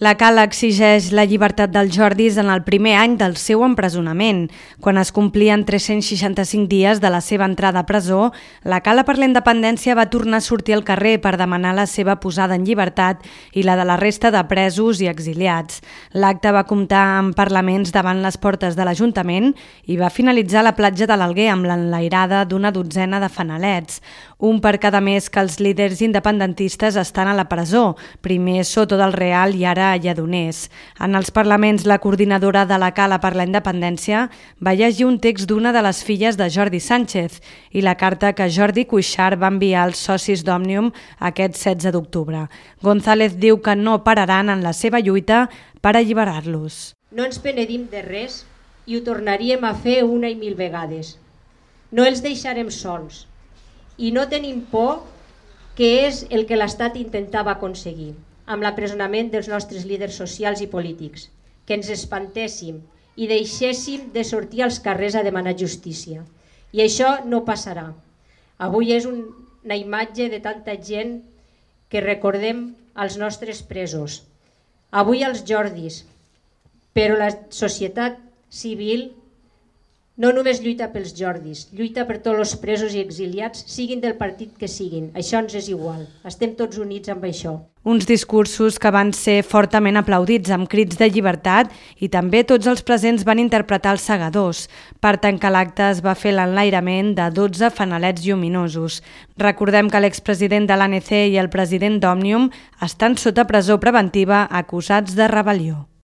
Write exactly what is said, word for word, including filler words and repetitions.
La Cala exigeix la llibertat dels Jordis en el primer any del seu empresonament. Quan es complien tres-cents seixanta-cinc dies de la seva entrada a presó, la Cala per la Independència va tornar a sortir al carrer per demanar la seva posada en llibertat i la de la resta de presos i exiliats. L'acte va comptar amb parlaments davant les portes de l'Ajuntament i va finalitzar a la platja de l'Alguer amb l'enlairada d'una dotzena de fanalets. Un per cada mes que els líders independentistes estan a la presó, primer Soto del Real i ara a Lledoners. En els parlaments, la coordinadora de la Cala per la Independència va llegir un text d'una de les filles de Jordi Sánchez i la carta que Jordi Cuixart va enviar als socis d'Òmnium aquest setze d'octubre. González diu que no pararan en la seva lluita per alliberar-los. No ens penedim de res i ho tornaríem a fer una i mil vegades. No els deixarem sols i no tenim por, que és el que l'Estat intentava aconseguir amb l'apresonament dels nostres líders socials i polítics, que ens espantéssim i deixéssim de sortir als carrers a demanar justícia. I això no passarà. Avui és un, una imatge de tanta gent que recordem als nostres presos. Avui els Jordis, però la societat civil no només lluita pels Jordis, lluita per tots els presos i exiliats, siguin del partit que siguin. Això ens és igual. Estem tots units amb això. Uns discursos que van ser fortament aplaudits amb crits de llibertat i també tots els presents van interpretar els segadors. Per tancar l'acte es va fer l'enlairament de dotze fanalets lluminosos. Recordem que l'expresident de l'A N C i el president d'Òmnium estan sota presó preventiva acusats de rebel·lió.